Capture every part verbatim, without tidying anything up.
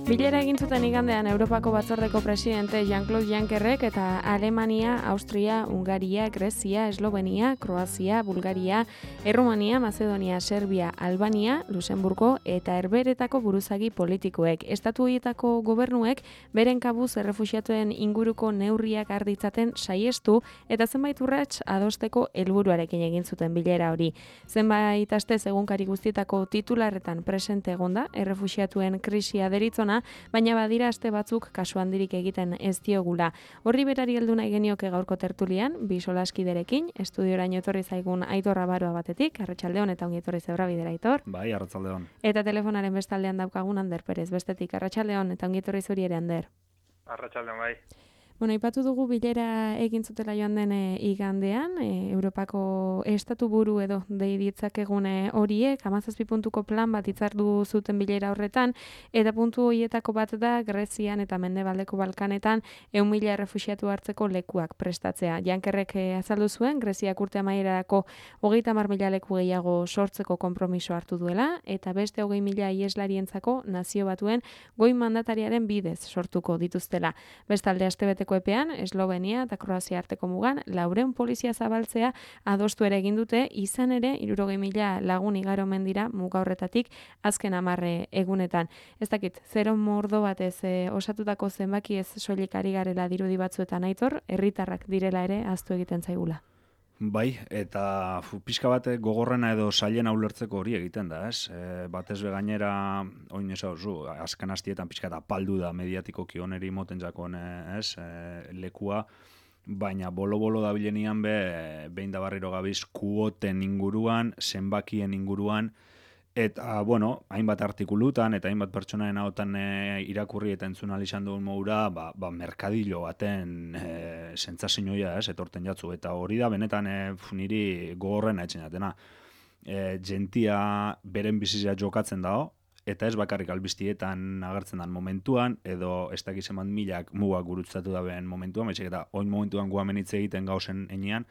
Bilera egin zuten igandean Europako Batzordeko presidente Jean-Claude Junckerrek eta Alemania, Austria, Hungaria, Grezia, Eslovenia, Kroazia, Bulgaria, Errumania, Mazedonia, Serbia, Albania, Luxemburgo eta Herbeheretako buruzagi politikoek. Estatu horietako gobernuek beren kabuz errefuxiatuen inguruko neurriak har ditzaten saiestu eta zenbait urrats adosteko helburuarekin egin zuten bilera hori. Zenbait astez egunkari guztietako titularretan presente egonda errefuxiatuen krisia deritzona, baina badira aste batzuk kasu handirik egiten ez diogula. Horri berari heldu nahi genioke gaurko tertulian, bi solaskiderekin, estudioraino etorri zaigun Aitor Abaroa batetik, arratsaldeon eta ongi etorri Zebrabidera, Aitor. Bai, arratsaldeon. Eta telefonaren bestaldean daukagun Ander Perez, bestetik arratsaldeon eta ongi etorri zuri ere, Ander. Arratsaldeon, bai. Bueno, aipatu dugu bilera egin zutela joan den e, igandean, e, Europako estatu buru edo dei ditzakegune horiek, hamazazpi puntuko plan bat hitzartu zuten bilera horretan, eta puntu horietako bat da Grezian eta Mendebaldeko Balkanetan ehun mila errefuxiatu hartzeko lekuak prestatzea. Junckerrek azaldu zuen, Greziak urte amaierarako hogeita hamar mila leku gehiago sortzeko konpromiso hartu duela, eta beste hogei mila ieslarientzako nazio batuen goi mandatariaren bidez sortuko dituztela. Bestalde astebete epean, Eslovenia eta Kroazia arteko mugan, laureun polizia zabaltzea adostu ere egin dute, izan ere, hirurogei mila lagun igaro mendira muga horretatik azken hamarre egunetan. Ez dakit, zero mordo batez e, osatutako zenbaki ez soilik ari garela dirudi batzuetan, Aitor, herritarrak direla ere ahaztu egiten zaigula. Bai, eta fu, pixka bat gogorrena edo zailena ulertzeko hori egiten da, ez? E, batez be gainera, oin ez hau, azken hastietan pixka eta paldu da mediatikoki oneri moten jakon, ez? E, lekua, baina bolo-bolo da bilenian be, behin da barriro gabiz, kuoten inguruan, zenbakien inguruan, eta, bueno, hainbat artikulutan eta hainbat pertsonaen hautan e, irakurri eta entzun izan dugun modura, ba, ba, merkadillo baten e, sentsazioa ez, etorten jatzu. Eta hori da, benetan e, niri gogorrena etxen jatena. E, gentia beren bizizia jokatzen dago, eta ez bakarrik albiztietan agertzen dan momentuan, edo ez dakiz eman milak mugak gurutzatu da behen momentuan, baizik eta oin momentuan guamenitze egiten gauzen enean,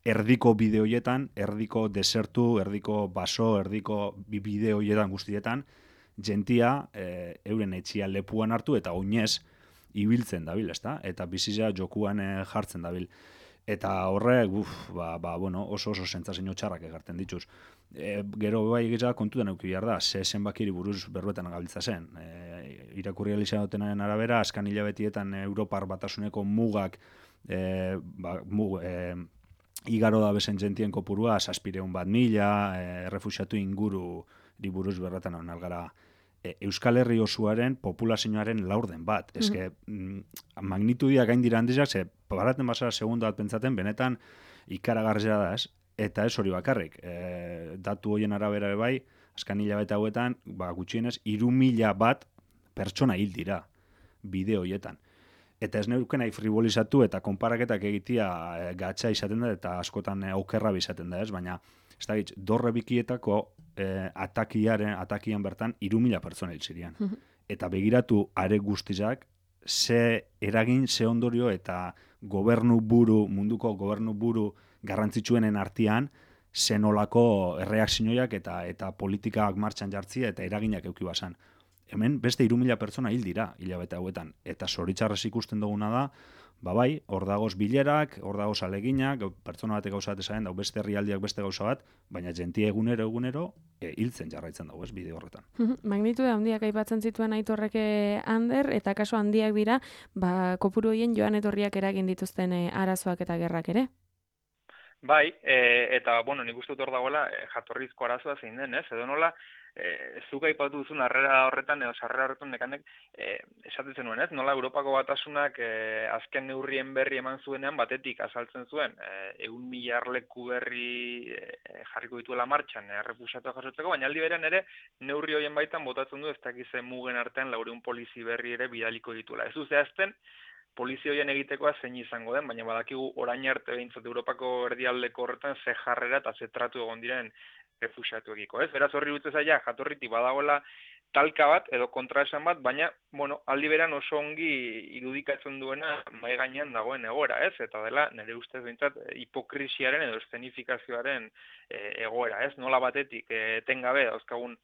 erdiko bideoietan, erdiko desertu, erdiko baso, erdiko bideoietan guztietan, gentia e, euren etxia lepuan hartu eta oinez ibiltzen dabil, ezta? Eta bizizia jokuan e, jartzen dabil. Eta horrek, uf, ba, ba, bueno, oso oso sentsazio txarrak egarten dituz. E, gero bai egitea kontutan eduki behar da, ze zenbakiri buruz berbetan gabiltza zen. E, irakurri alizadotenaren arabera, azkan hilabetietan Europar Batasuneko mugak, e, ba, mug, e, igaro da bezen gentien kopurua, zazpireun bat mila, e, errefuxiatu inguru buruz berretan algara e, Euskal Herri osoaren populazioaren laurden bat. Mm-hmm. Eske, mm, magnitudia gain dira handizak, ze baraten basara segunda bat pentsaten, benetan ikaragarria da, ez? Eta ez hori bakarrik. E, datu horien arabera bai, azkan hilabete hauetan, ba, gutxienez, hiru mila bat pertsona hil dira bideo horietan. Eta ez neuken nahi frivolizatu eta konparaketak egitea e, gatsa izaten da eta askotan e, okerra izaten da, ez? Baina, ez da gitz, dorre bikietako e, atakiaren, atakian bertan hiru mila pertsona hil ziren. Eta begiratu are guztizak, ze eragin, ze ondorio eta gobernu buru, munduko gobernu buru garrantzitsuenen artean, zen olako erreakzioak eta, eta politikak martxan jartzia eta eraginak euki basan. Hemen beste hiru mila pertsona hil dira hilabete hauetan. Eta zoritxarrez ikusten duguna da, ba bai, hor dagoz bilerak, hor dagoz aleginak, pertsona batek gauza bat esaten, dau beste herrialdiak beste gauza bat, baina gentia egunero egunero e, hiltzen jarraitzen dago, ez, bide horretan. Magnitude handiak aipatzen zituen Aitorrek Ander, eta kaso handiak dira, ba, kopuru horien joan etorriak eragin dituzten e, arazoak eta gerrak ere. Bai, e, eta, bueno, nik uste dut hor dagoela e, jatorrizko arazoa zein den, ez? Edo nola, e, zuk aipatu duzun harrera horretan, edo sarrera horretan nekanek, e, esaten zenuen, ez? Nola Europako Batasunak e, azken neurrien berri eman zuenean batetik azaltzen zuen, e, egun mila leku berri e, jarriko dituela martxan, e, errefuxiatua jasotzeko, baina aldi berean ere neurri horien baitan botatzen du ez dakizen mugen artean laureun polizi berri ere bidaliko dituela. Ez du zehazten, polizia horien egitekoa zein izango den, baina badakigu orain arte behintzat Europako erdialdeko horretan ze jarrera eta ze tratu egon diren errefuxiatuekiko, ez? Beraz horri dutze zaila, jatorritik badagoela talka bat edo kontraesan bat, baina, bueno, aldi beran oso ongi irudikatzen duena mai gainean dagoen egoera, ez? Eta dela, nire ustez behintzat, hipokrisiaren edo eszenifikazioaren e, egoera, ez? Nola batetik, e, etengabe dauzkagun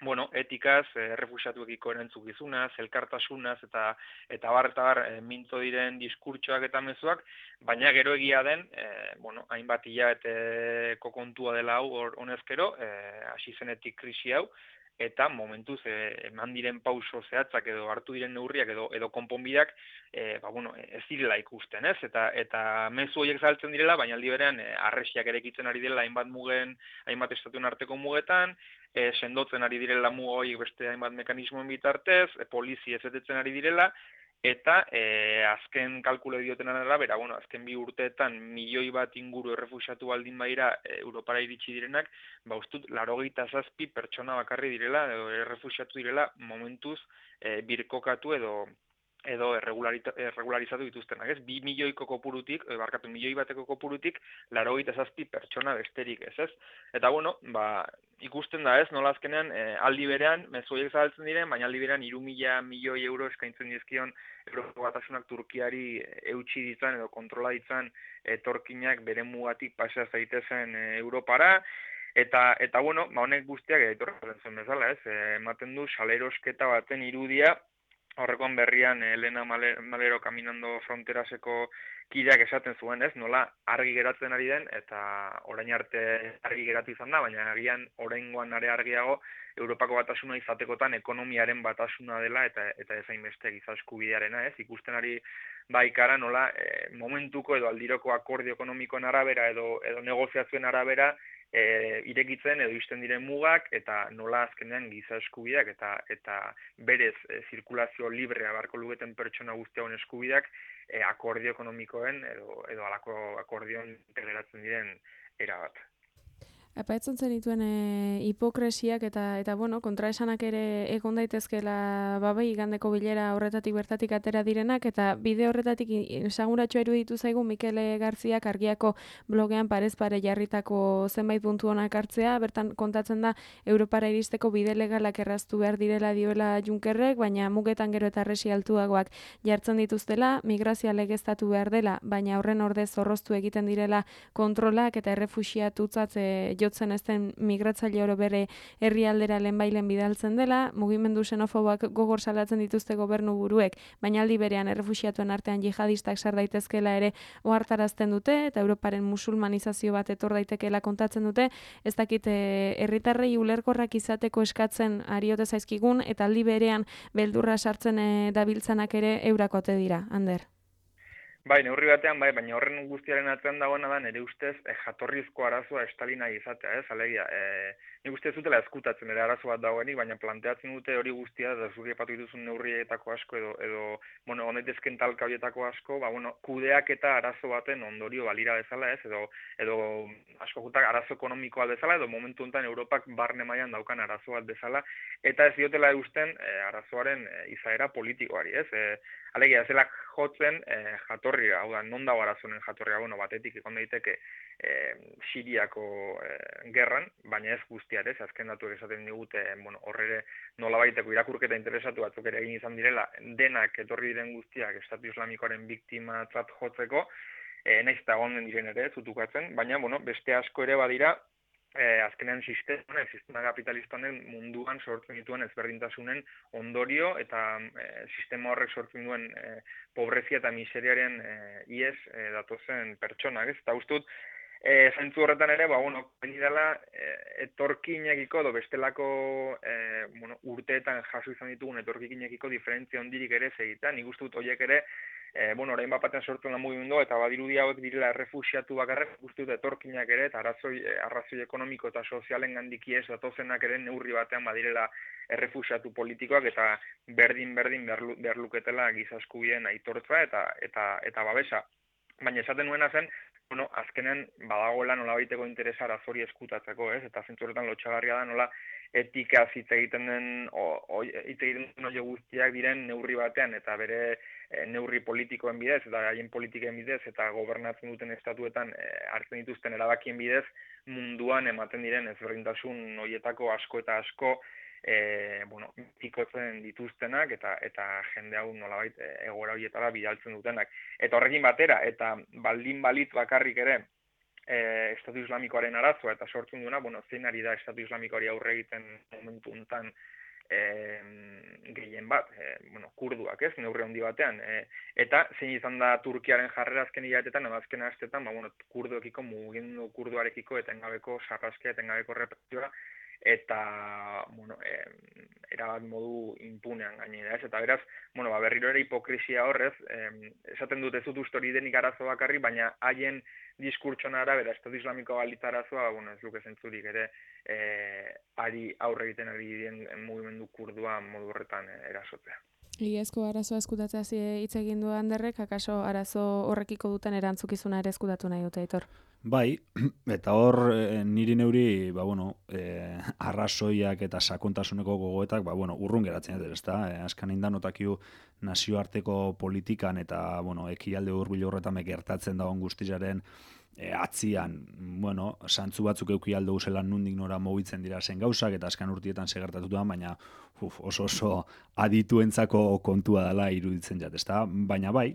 bueno, etikaz, errefuxiatuekiko erantzukizunaz, elkartasunaz eta eta bar eta bar e, mintzo diren diskurtsoak eta mezuak, baina gero egia den, e, bueno, hainbat hilabeteko kontua dela hau hor- honezkero, e, hasi zenetik krisi hau, eta momentuz e, eman diren pauso zehatzak edo hartu diren neurriak edo edo konponbideak e, ba, bueno, ez direla ikusten, ez? Eta eta mezu horiek zabaltzen direla, baina aldi berean e, harresiak erekitzen ari direla hainbat mugen, hainbat estatuen arteko mugetan, e, sendotzen ari direla muga horiek beste hainbat mekanismoen bitartez, e, polizi ezetetzen ari direla, eta e, azken kalkule dioten arabera, bueno, azken bi urteetan milioi bat inguru errefuxiatu baldin badira e, Europara iritsi direnak, ba ustut laurogeita zazpi pertsona bakarri direla edo errefuxiatu direla momentuz e, birkokatu edo edo erregularizatu dituztenak, ez? Bi milioiko kopurutik, e, barkatu milioi bateko kopurutik, laurogeita zazpi pertsona besterik, ez ez? Eta bueno, ba, ikusten da, ez? Nola azkenean e, aldi berean mezu horiek zabaltzen diren, baina aldi berean hiru mila milioi euro eskaintzen dizkion Europako Batasunak Turkiari eutsi ditzan edo kontrola ditzan etorkinak bere mugatik pasea zaitezen e, Europara. Eta, eta bueno, ba, honek guztiak etorren zen bezala, ez? E, ematen du salerosketa baten irudia, horrekoan berrian Elena Malero Caminando Fronteraseko kideak esaten zuen, ez? Nola argi geratzen ari den, eta orain arte argi geratu izan da, baina agian oraingoan are argiago Europako Batasuna izatekotan ekonomiaren batasuna dela eta eta ezain beste giza eskubidearena, ez? Ikusten ari baikara nola e, momentuko edo aldiroko akordio ekonomikoen arabera edo edo negoziazioen arabera E, irekitzen edo isten diren mugak eta nola azkenean giza eskubideak eta eta berez e, zirkulazio librea barko lugeten pertsona guztiauen eskubideak e, akordio ekonomikoen edo edo halako akordioan integratzen diren erabat. Apaitzen zenituen e, hipokresiak eta eta bueno, kontraesanak ere egon daitezkeela babai igandeko bilera horretatik bertatik atera direnak eta bide horretatik esaguratsua iruditu zaigu Mikele Garziak Argiako blogean parez pare jarritako zenbait puntu onak hartzea, bertan kontatzen da Europara iristeko bide legalak erraztu behar direla dioela Junckerrek, baina mugetan gero eta arresi altuagoak jartzen dituztela, migrazioa legeztatu behar dela, baina horren ordez zorroztu egiten direla kontrolak eta errefuxiatutzat jotzen ez den migratzaile oro bere herrialdera lehenbailen bidaltzen dela, mugimendu xenofoboak gogor salatzen dituzte gobernu buruek, baina aldi berean errefuxiatuen artean jihadistak sar daitezkela ere ohartarazten dute eta Europaren musulmanizazio bat etor daitekeela kontatzen dute, ez dakit herritarrei ulerkorrak izateko eskatzen ariote zaizkigun eta aldi berean beldurra sartzen e, dabiltzanak ere eurakote dira, Ander. Bai, neurri batean, bai, baina horren guztiaren atzean dagoena da, nire ustez, eh, jatorrizko arazoa estalina izatea, ez, alegia, eh, nik uste zutela eskutatzen ere arazo bat dagoenik, baina planteatzen dute hori guztia, da zuri epatu dituzun neurrietako asko, edo, edo bueno, honetezken talka horietako asko, ba, bueno, kudeak eta arazo baten ondorio balira bezala, ez, edo, edo asko jutak arazo ekonomikoa bezala, edo momentu honetan Europak barne mailan daukan arazo bat bezala, eta ez diotela eusten eh, arazoaren eh, izaera politikoari, ez, eh, alegia, zela jotzen eh, jatorria, hau da, non dago arazonen jatorria, bueno, batetik ikon daiteke eh, Siriako eh, gerran, baina ez guztiarez, azken datuak esaten digute, bueno, horrere nolabaiteko irakurketa interesatu batzuk ere egin izan direla, denak etorri diren guztiak Estatu Islamikoaren biktima tzat jotzeko, eh, naiz eta gonden diren ere, zutukatzen, baina, bueno, beste asko ere badira, Eh, azkenean sistema, sistema kapitalista honen munduan sortzen dituen ezberdintasunen ondorio eta eh, sistema horrek sortzen duen eh, pobrezia eta miseriaren eh, ies eh, datozen pertsonak, ez? Eta ustut, eh, zentzu horretan ere, ba, bueno, beni dela eh, etorkinekiko edo bestelako eh, bueno, urteetan jaso izan ditugun etorkinekiko diferentzia hondirik ere segitan, nik ustut horiek ere E, bueno, orain bapaten sortzen da mugimendu eta badirudi hauek direla errefuxiatu bakarrek guzti dut etorkinak ere eta arrazoi, arrazoi ekonomiko eta sozialen gandiki ez datozenak ere neurri batean badirela errefuxiatu politikoak eta berdin-berdin behar luketela giza eskubideen aitortza eta, eta, eta babesa. Baina esaten nuena zen, bueno, azkenen badagoela nolabaiteko interesa arazori eskutatzeko, ez? Eta zentzuretan lotxagarria da nola etika hitz egiten den hitz egiten den hori guztiak diren neurri batean eta bere e, neurri politikoen bidez eta haien politiken bidez eta gobernatzen duten estatuetan e, hartzen dituzten erabakien bidez munduan ematen diren ezberdintasun horietako asko eta asko e, bueno, pikotzen dituztenak eta eta jende hau nolabait e, egoera horietara bidaltzen dutenak. Eta horrekin batera, eta baldin balit bakarrik ere e, Estatu Islamikoaren arazoa eta sortzen duena, bueno, zein ari da Estatu Islamikoari aurre egiten momentu hontan e, gehien bat, e, bueno, kurduak ez, neurri handi batean, e, eta zein izan da Turkiaren jarrera azken hilabetetan, edo azken astetan, ba, bueno, kurduekiko, mugimendu kurduarekiko etengabeko sarraskia, etengabeko represioa, eta, bueno, e, erabat modu impunean gainera, ez? Eta beraz, bueno, ba, berriro ere hipokresia horrez, e, esaten dut ez dut uste hori denik arazo bakarri, baina haien diskurtsoan arabera, Estatu Islamiko balitz arazoa, bueno, ez luke zentzurik ere, e, ari aurre egiten ari diren mugimendu kurdua modu horretan e, erasotzea. Egiazko arazoa eskutatzea hitz egin du Anderrek, akaso arazo horrekiko duten erantzukizuna ere eskutatu nahi dute, Aitor? Bai, eta hor e, niri neuri, ba, bueno, e, arrazoiak eta sakontasuneko gogoetak, ba, bueno, urrun geratzen dut, ezta? E, azkan inda notakiu nazioarteko politikan eta, bueno, ekialde hurbil horretan gertatzen dagoen guztiaren e, atzian, bueno, santzu batzuk euki aldo zelan nundik nora mugitzen dira zen gauzak, eta azkan urtietan segertatu da, baina uf, oso oso adituentzako kontua dela iruditzen jat, ezta? Baina bai,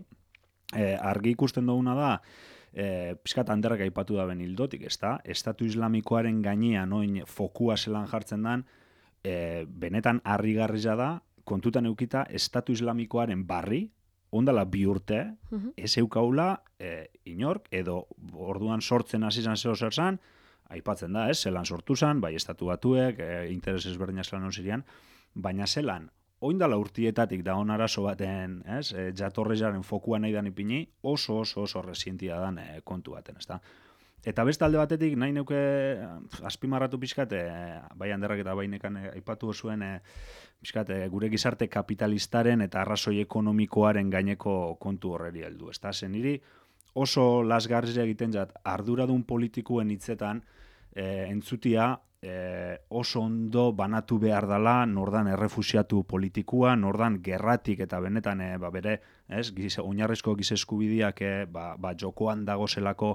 e, argi ikusten duguna da, E, pizkat Anderrek aipatu da ben hildotik, ezta? Estatu Islamikoaren gainean oin fokua zelan jartzen dan, e, benetan harrigarria da, kontutan eukita Estatu Islamikoaren barri, ondala bi urte, uh-huh. ez eukaula e, inork, edo orduan sortzen hasi zan zeo zer zan, aipatzen da, ez? Zelan sortu zan, bai Estatu Batuek, e, interes ezberdinak zelan osirian, baina zelan, oindala urtietatik da on arazo baten, ez, e, jatorrezaren fokua nahi dan ipini, oso oso oso resientia dan e, kontu baten, ezta. Eta beste alde batetik nahi neuke azpimarratu pixkat, e, bai Anderrak eta bai nekan e, aipatu zuen e, pixkat, e, gure gizarte kapitalistaren eta arrazoi ekonomikoaren gaineko kontu horreri heldu, ezta. Zen niri oso lasgarria egiten jat arduradun politikuen hitzetan e, entzutia E, oso ondo banatu behar dela nordan errefusiatu politikua, nordan gerratik eta benetan e, ba, bere, ez, gize, oinarrizko gize eskubideak e, ba, ba, jokoan dagozelako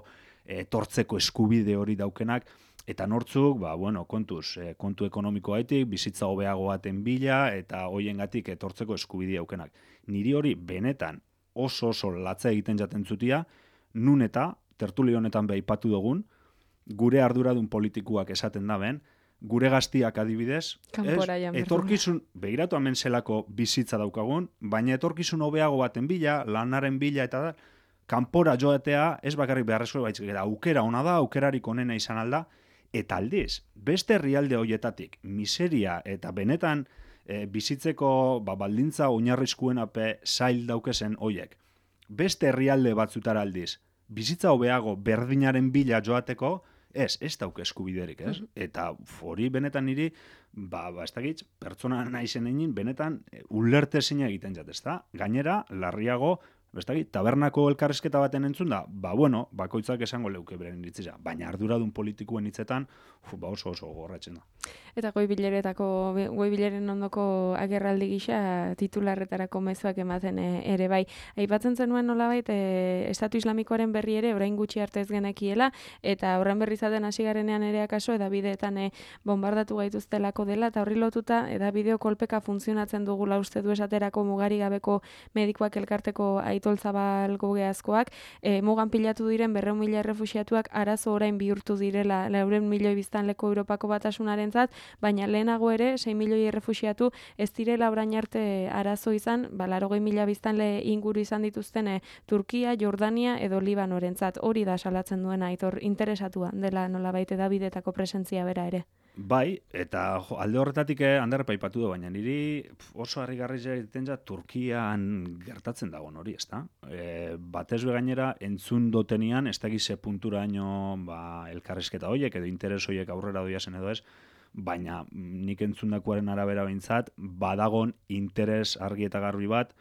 etortzeko eskubide hori daukenak, eta nortzuk, ba, bueno, kontuz, e, kontu ekonomikoaitik, bizitza hobeago baten bila, eta hoiengatik etortzeko eskubide daukenak. Niri hori benetan oso oso latza egiten jaten zutia, nun eta, tertulio honetan behaipatu dugun, gure arduradun politikuak esaten da ben, gure gaztiak adibidez, ez, etorkizun, begiratu hemen zelako bizitza daukagun, baina etorkizun hobeago baten bila, lanaren bila eta da, kanpora joatea ez bakarrik beharrezko baizik, eta aukera ona da, aukerarik onena izan alda, eta aldiz, beste herrialde hoietatik, miseria eta benetan e, bizitzeko ba, baldintza oinarrizkuen ape zail daukezen hoiek. Beste herrialde batzutara aldiz, bizitza hobeago berdinaren bila joateko, ez, ez dauke eskubiderik, ez? Eta hori benetan niri, ba, ba ez dakit, pertsona naizen egin, benetan ulertezina egiten jat, ez da? Gainera, larriago, ez dakit, tabernako elkarrizketa baten entzun da, ba, bueno, bakoitzak esango leuke beren iritzia, baina arduradun politikuen hitzetan, uf, ba oso oso gorratzen da. Eta goi bileretako, goi bileren ondoko agerraldi gisa titularretarako mezuak ematen ere bai. Aipatzen zenuen nolabait e, Estatu Islamikoaren berri ere orain gutxi arte ez genekiela, eta horren berri zaten hasi garenean ere akaso edabideetan e, bombardatu gaituztelako dela, eta horri lotuta edabideo kolpeka funtzionatzen dugula uste du esaterako mugari gabeko medikoak elkarteko Aitol Zabal gogeazkoak, e, mugan pilatu diren berrehun mila errefuxiatuak arazo orain bihurtu direla laurehun milioi biztanleko Europako Batasunarentzat, baina lehenago ere sei milioi errefuxiatu ez direla orain arte arazo izan, ba laurogei mila biztanle inguru izan dituzten e, Turkia, Jordania edo Libanorentzat. Hori da salatzen duena Aitor, interesatua dela nolabait edabidetako presentzia bera ere. Bai, eta jo, alde horretatik Ander aipatu du, baina niri oso harrigarria egiten ja Turkian gertatzen dagoen hori, ezta? E, batez be gainera entzun dotenian, ez dakiz ze punturaino ba, elkarrizketa horiek edo interes horiek aurrera doia zen edo ez, baina nik entzundakoaren arabera behintzat, badagon interes argi eta garbi bat,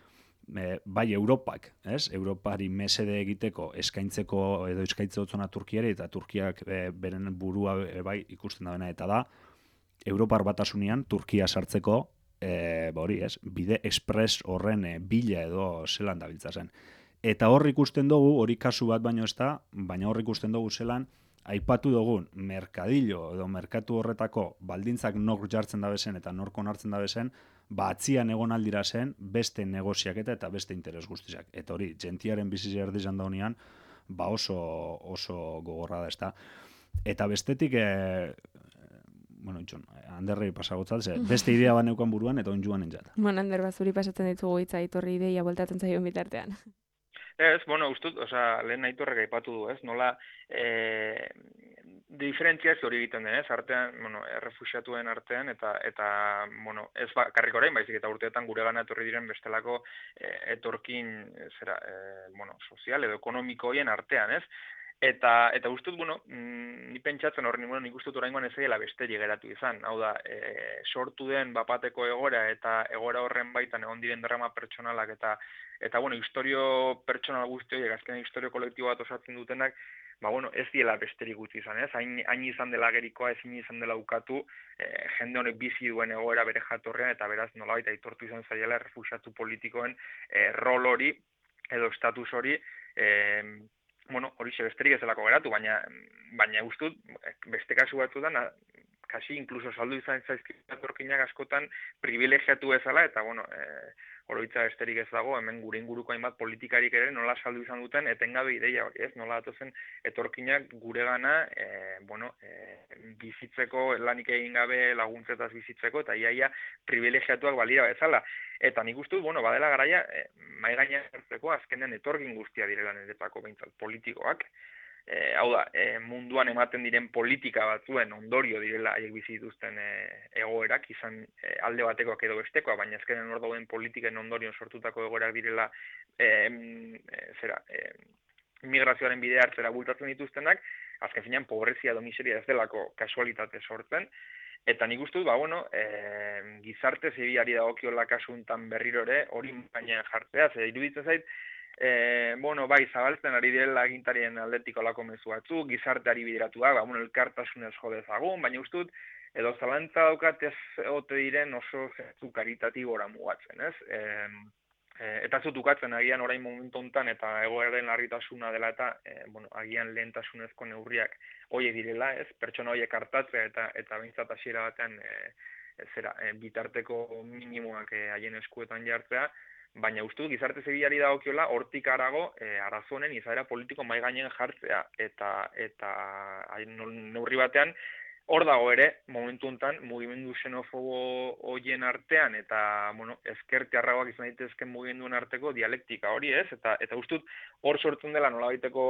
e, bai Europak, ez? Europari mesede egiteko eskaintzeko edo eskaintze otzona Turkiari, eta Turkiak e, beren burua e, bai ikusten da bena, eta da, Europar Batasunean Turkia sartzeko, e, ba hori ez, bide express horren e, bila edo zelan dabiltza zen. Eta hor ikusten dugu, hori kasu bat baino ez da, baina hor ikusten dugu zelan, aipatu dugun merkadillo edo merkatu horretako baldintzak nor jartzen da bezen eta nork onartzen da bezen, ba atzian egon aldira zen beste negoziaketa eta beste interes guztiak. Eta hori, gentiaren bizizia erdizan daunean, ba oso, oso gogorra da, ezta. Eta bestetik, e, bueno, itxon, Anderrei pasagotzat, ze beste idea bat neukan buruan eta onjuan entzat. Bueno, Ander, bazuri pasatzen ditugu hitza iturri ideia bueltatzen zaion bitartean. Ez, bueno, ustut, osea, lehen Aitorrek aipatu du, ez? Nola eh diferentziazio hori egiten den, ez? Artean, bueno, errefuxiatuen artean eta eta bueno, ez bakarrik orain, baizik eta urteetan guregana etorri diren bestelako eh, etorkin eh, zera, eh, bueno, sozial edo ekonomiko hoien artean, ez? Eta eta ustut, bueno, mm, ni pentsatzen horren, bueno, nik ustut oraingoan ez dela besterik geratu izan. Hau da, e, sortu den bapateko egoera eta egoera horren baitan egon diren drama pertsonalak eta eta bueno, historio pertsonal guzti horiek, azkenean historio kolektibo bat osatzen dutenak, ba bueno, ez diela besterik gutxi izan, ez? Hain hain izan dela gerikoa, ezin izan dela ukatu, e, jende honek bizi duen egoera bere jatorrean eta beraz nolabait aitortu izan zaiela errefuxiatu politikoen e, rol hori edo status hori, e, bueno, hori besterik ez delako geratu, baina baina ustut beste kasu batzuetan kasi incluso saldu izan zaizkitu etorkinak askotan privilegiatu bezala eta bueno, eh oroitza besterik ez dago, hemen gure inguruko hainbat politikarik ere nola saldu izan duten etengabe ideia hori, ez? Nola datozen etorkinak guregana eh bueno, eh bizitzeko lanik egin gabe laguntzetaz bizitzeko eta iaia privilegiatuak balira bezala. Eta nik uste dut, bueno, badela garaia, eh, mai gainean jartzeko azkenean etorkin guztia direla niretzako behintzat politikoak. E, hau da, e, munduan ematen diren politika batzuen ondorio direla haiek bizi dituzten e, egoerak, izan e, alde batekoak edo bestekoa, baina azkenen hor dauden politiken ondorion sortutako egoerak direla e, e, zera, e, migrazioaren bidea hartzera bultatzen dituztenak, azken finean pobrezia edo miseria ez delako kasualitate sortzen, eta nik uste dut, ba, bueno, e, gizarte zibilari dagokiola kasuntan berriro ere hori gainean jartzea, ze iruditzen zait, E, bueno, bai, zabaltzen ari direla agintarien aldetik olako mezu batzu, gizarteari bideratua, ba, bueno, elkartasunez jo dezagun, baina ustut, edo zalantza daukat ez ote diren oso zentzu karitatibora mugatzen, ez? E, e, eta zut ukatzen agian orain momentu hontan eta egoeraren larritasuna dela eta, e, bueno, agian lehentasunezko neurriak hoiek direla, ez? Pertsona hoiek hartatzea eta eta behintzat hasiera batean e, zera, e, bitarteko minimoak e, haien eskuetan jartzea, baina uste dut gizarte zibilari dagokiola hortik harago e, arazonen izaera politiko mai gainen jartzea eta eta neurri batean hor dago ere momentu hontan mugimendu xenofobo hoien artean eta bueno, ezkertiarragoak izan daitezken mugimenduen arteko dialektika hori, ez? Eta eta uste dut hor sortzen dela nolabaiteko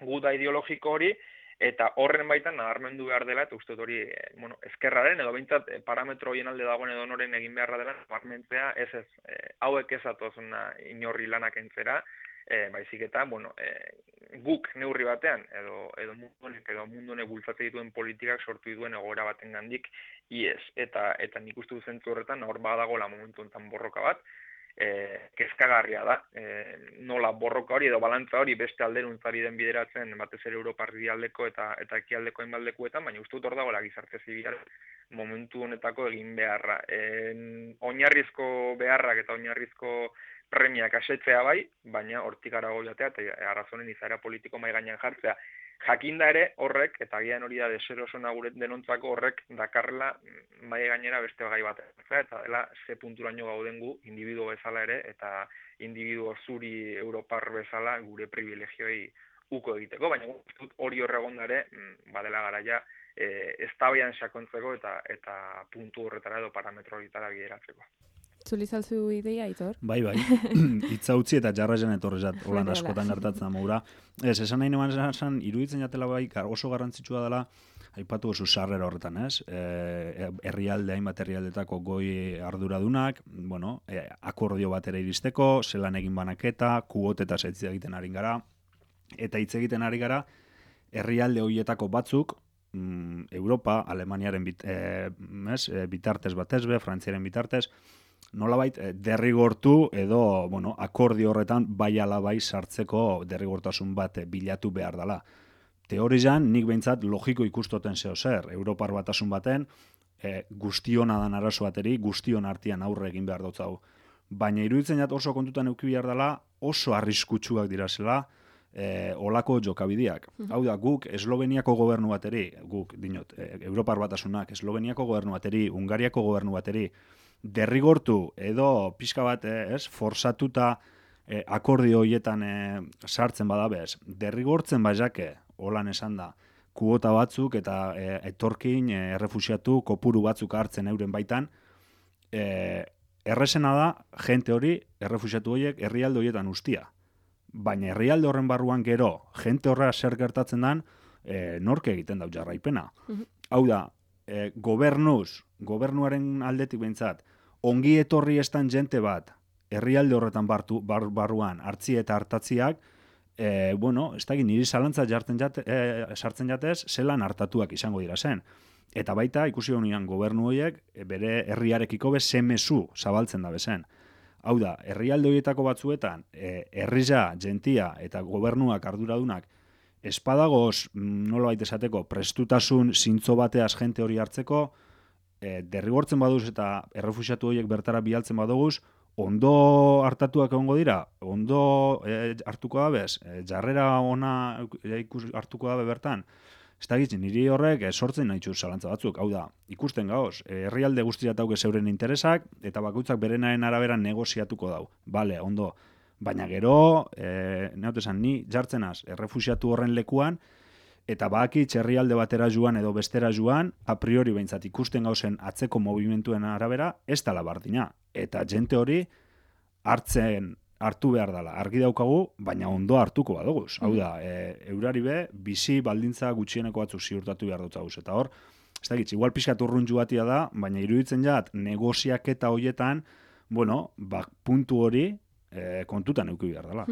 guda ideologiko hori eta horren baitan nabarmendu behar dela, eta uste hori, e, bueno, ezkerraren, edo behintzat e, parametro horien alde dagoen edo noren egin beharra dela, nabarmentzea, ez ez, e, hauek ez atozuna inorri lanak entzera, e, baizik eta, bueno, e, guk neurri batean, edo, edo mundunek, edo mundunek bultzate dituen politikak sortu dituen egoera baten gandik, iez, eta, eta nik uste du zentzu horretan, hor badagoela momentu enten borroka bat, E, kezkagarria da, e, nola borroka hori edo balantza hori beste alderuntzari den bideratzen batez ere Europar aldeko eta eta ekialdeko hainbaldekuetan, baina uste dut hor dagoela gizarte zibilaren momentu honetako egin beharra. E, oinarrizko beharrak eta oinarrizko premiak asetzea bai, baina hortik arago jatea eta arrazonen izaera politiko mai gainean jartzea. Jakinda ere horrek, eta agian hori da deserosona gure denontzako horrek dakarrela mai gainera beste gai bat. Eta dela ze punturaino gauden gu, individuo bezala ere, eta individuo zuri Europar bezala gure privilegioi uko egiteko, baina hori horregon ere, badela garaia, e, eztabaian sakontzeko eta eta puntu horretara edo parametro horretara bideratzeko. Zuli zalzu ideia, Aitor? Bai, bai. Itza utzi eta jarrazen etorrezat, holan askotan gertatzen da maura. Ez, esan nahi neman esan, iruditzen jatela bai, oso garrantzitsua dela, aipatu oso sarrera horretan, ez? E, herrialde, hainbat herrialdetako goi arduradunak, bueno, e, akordio batera iristeko, zelan egin banaketa, kuoteta setzi egiten ari gara, eta hitz egiten ari gara, herrialde horietako batzuk, mm, Europa, Alemaniaren bit, e, ez, e, bitartez batezbe, Frantziaren bitartez, nolabait derrigortu edo bueno, akordio horretan bai ala bai sartzeko derrigortasun bat bilatu behar dela. Teorian nik behintzat logiko ikustoten zeo zer, Europar batasun baten e, guztiona dan arazo bateri, guztion artean aurre egin behar dut hau. Baina iruditzen jat oso kontutan euki behar dela, oso arriskutsuak dirazela e, olako jokabideak. Mm-hmm. Hau da, guk Esloveniako gobernu bateri, guk dinot, e, Europar batasunak, Esloveniako gobernu bateri, Hungariako gobernu bateri, derrigortu edo pixka bat, ez, forsatuta e, akordio horietan e, sartzen badabez, derrigortzen baiake, holan esan da, kuota batzuk eta e, etorkin, e, errefuxiatu, kopuru batzuk hartzen euren baitan, e, erresena da, jente hori, errefuxiatu horiek, herrialde horietan ustia. Baina herrialde horren barruan gero, jente horra zer gertatzen dan, e, nork egiten dau jarraipena. Mhm. Hau da, e, gobernuz, gobernuaren aldetik behintzat, ongi etorri estan jente bat, herrialde horretan bartu, bar, barruan hartzi eta hartatziak, e, bueno, ez da niri zalantza jartzen jate, e, sartzen jatez, zelan hartatuak izango dira zen. Eta baita, ikusi honean gobernu horiek, e, bere herriarekiko be zemezu zabaltzen da bezen. Hau da, herrialde horietako batzuetan, e, herrija, gentia eta gobernuak arduradunak, espadagoz, nola baita esateko, prestutasun zintzo bateaz jente hori hartzeko, e, derrigortzen baduz eta errefuxiatu horiek bertara bialtzen badoguz, ondo hartatuak egongo dira, ondo e, hartuko dabez, e, jarrera ona e, ikus, hartuko dabe bertan, ez da gitz, niri horrek e, sortzen nahi txuz zalantza batzuk. Hau da, ikusten gaoz, e, herrialde guztiak dauke zeuren interesak, eta bakutzak berenaren arabera negoziatuko dau. Bale, ondo. Baina gero, e, neotesan, ni jartzenaz, errefuxiatu horren lekuan, eta bakitz herrialde batera joan edo bestera joan, a priori behintzat ikusten gauzen atzeko movimentuen arabera, ez dala bardina. Eta jente hori hartzen hartu behar dela. Argi daukagu, baina ondo hartuko badoguz. Hau da, e, eurari be, bizi baldintza gutxieneko batzuk ziurtatu behar dut zauz. Eta hor, ez da gitz, igual pixkat urruntzu batia da, baina iruditzen jat, negoziaketa horietan, bueno, bak, puntu hori, E, kontutan euki behar dela.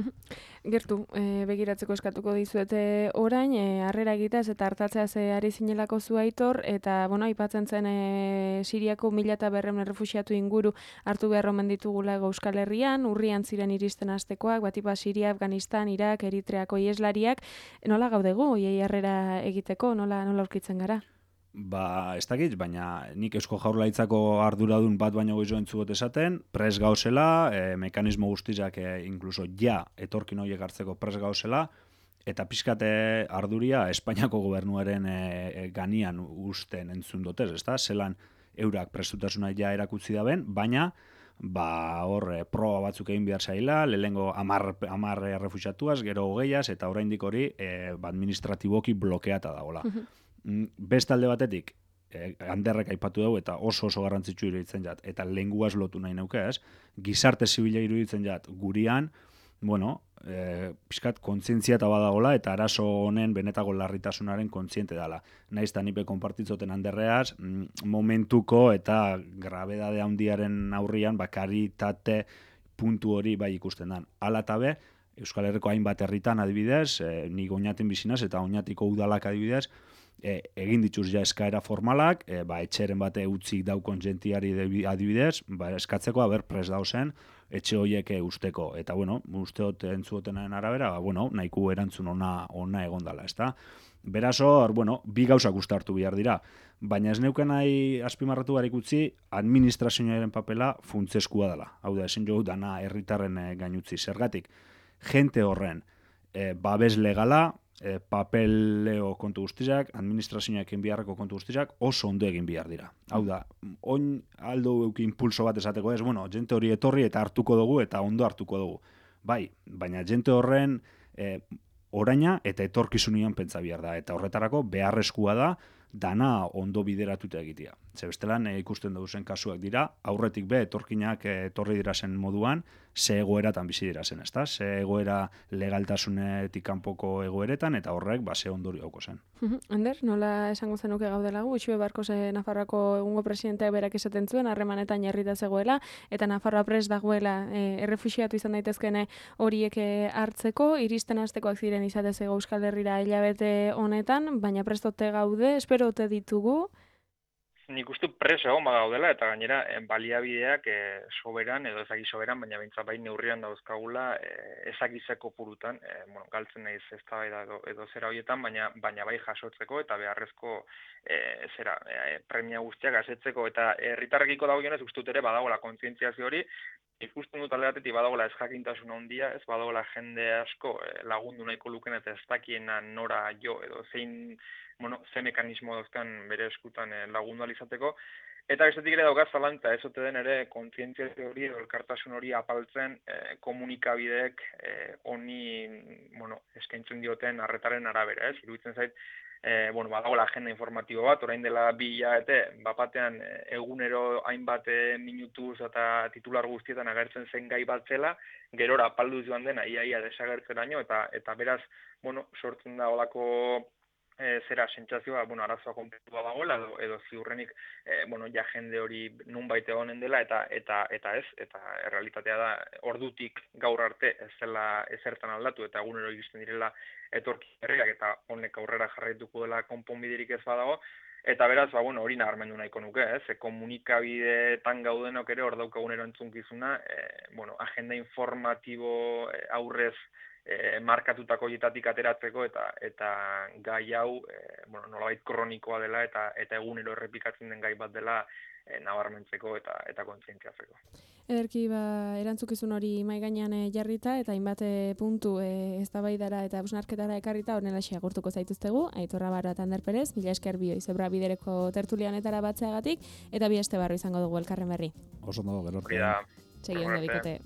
Gertu, e, begiratzeko eskatuko dizuete orain, e, harrera egitaz eta hartatzeaz e, ari zinelako zu Aitor, eta, bueno, aipatzen zen e, Siriako mila eta berreun errefuxiatu inguru hartu behar omen ditugula Euskal Herrian, urrian ziren iristen hastekoak, batipa Siria, Afganistan, Irak, Eritreako ieslariak, nola gaudegu, oiei harrera egiteko, nola, nola aurkitzen gara? Ba, ez dakit, baina nik Eusko Jaurlaritzako arduradun bat baino goizo entzugot esaten, pres gauzela, e, mekanismo guztizak e, inkluso ja etorkin horiek hartzeko pres gauzela, eta pixkate arduria Espainiako gobernuaren e, e, ganian usten entzun dotez, ezta? Zelan eurak prestutasuna ja erakutsi daben, baina ba hor e, proba batzuk egin behar zaila, lehengo amar, amar errefuxiatuaz, gero hogeiaz, eta oraindik hori e, ba, administratiboki blokeata dagoela. Beste alde batetik, eh, handerrek aipatu dugu eta oso oso garrantzitsu iruditzen jat, eta lenguaz lotu nahi nauke, ez? Gizarte zibila iruditzen jat, gurian, bueno, eh, pixkat kontzientzia eta badagola, eta arazo honen benetako larritasunaren kontziente dela. Naiz eta nipe konpartitzoten handerreaz, momentuko eta grabedade handiaren aurrian, bakaritate puntu hori bai ikusten dan. Hala eta be, Euskal Herriko hainbat herritan adibidez, eh, ni Oñatin bizinaz eta Oñatiko udalak adibidez, E, egin dituz ja eskaera formalak, e, ba, etxeren bate utzik daukon jentiari adibidez, ba, eskatzeko haber pres dauzen, etxe horiek usteko. Eta, bueno, usteot entzuotenen arabera, ba, bueno, nahiko erantzun ona, ona egondala, ezta? Beraz hor, bueno, bi gauzak ustartu behar dira. Baina ez neuken nahi azpimarratu barik utzi, administrazioaren papela funtseskua dela. Hau da, ezin jo dana herritarren e, gainutzi. Zergatik, jente horren e, babes legala, E, papeleo kontu guztiak, administrazioak egin beharreko kontu guztiak oso ondo egin behar dira. Hau da, oin aldo euki impulso bat esateko ez, bueno, jente hori etorri eta hartuko dugu eta ondo hartuko dugu. Bai, baina jente horren e, oraina eta etorkizunian pentsa behar da. Eta horretarako beharrezkoa da dana ondo bideratuta egitea. Ze bestelan e, ikusten dugu zen kasuak dira, aurretik be etorkinak e, etorri dira zen moduan, ze egoeratan bizi dira zen, ezta? Ze egoera legaltasunetik kanpoko egoeretan, eta horrek ba, ze ondori hauko zen. Ander, nola esango zenuke gaudela gu? Utxue Barkos Nafarroako egungo presidenteak berak esaten zuen, harremanetan jarrita zegoela, eta Nafarroa prest dagoela e, errefuxiatu izan daitezkene horiek hartzeko, iristen hastekoak ziren izatez Euskal Herrira hilabete honetan, baina prestote gaude, espero ote ditugu. Nik uste preso egon bagaudela, eta gainera baliabideak e, soberan, edo ezaki soberan, baina behintzat bain neurrian dauzkagula e, ezakizeko purutan, e, bueno, galtzen nahiz eztabaida edo, edo zera horietan, baina, baina bai jasotzeko eta beharrezko e, zera, e, premia guztiak asetzeko, eta herritarrekiko dagokionez uste dut ere badagoela kontzientziazio hori, ikusten dut alde batetik badagoela ez jakintasun handia, ez badagoela jende asko e, lagundu nahiko luken eta ez dakiena nora jo edo zein bueno, ze mekanismo dauzkan bere eskutan eh, lagundu alizateko, Eta bestetik ere daukaz zalantza, ez ote den ere kontzientziazio hori edo elkartasun hori apaltzen eh, komunikabideek eh, honi bueno, eskaintzen dioten arretaren arabera, ez? Iruditzen zait, eh, bueno, badagoela agenda informatibo bat, orain dela bi hilabete, bapatean eh, egunero hainbat eh, minutuz eta titular guztietan agertzen zen gai bat zela, gerora apalduz joan dena iaia desagertzeraino eta eta beraz, bueno, sortzen da holako E, zera sentsazioa, bueno, arazoa konpletua dagoela edo, edo ziurrenik e, bueno, ja jende hori nunbait egonen dela eta eta eta ez, eta errealitatea da ordutik gaur arte ez dela ezertan aldatu eta egunero iristen direla etorki berriak eta honek aurrera jarraituko dela konponbiderik ez badago. Eta beraz, ba, bueno, hori nabarmendu nahiko nuke, ez? E, komunikabideetan gaudenok ere hor daukagunero entzunkizuna, e, bueno, agenda informatibo e, aurrez E, markatutako hietatik ateratzeko eta eta gai hau e, bueno, nolabait kronikoa dela eta eta egunero errepikatzen den gai bat dela e, nabarmentzeko eta eta kontzientziatzeko. Ederki, ba, erantzukizun hori mahai gainean jarrita eta hainbat puntu e, eztabaidara eta hausnarketara ekarrita honelaxe agurtuko zaituztegu. Aitor Rabarra eta Ander Perez, mila esker bioi Zebra Bidereko tertulia honetara batzeagatik eta bi aste barru izango dugu elkarren berri. Oso ondo, gero. Segi ondo bikote.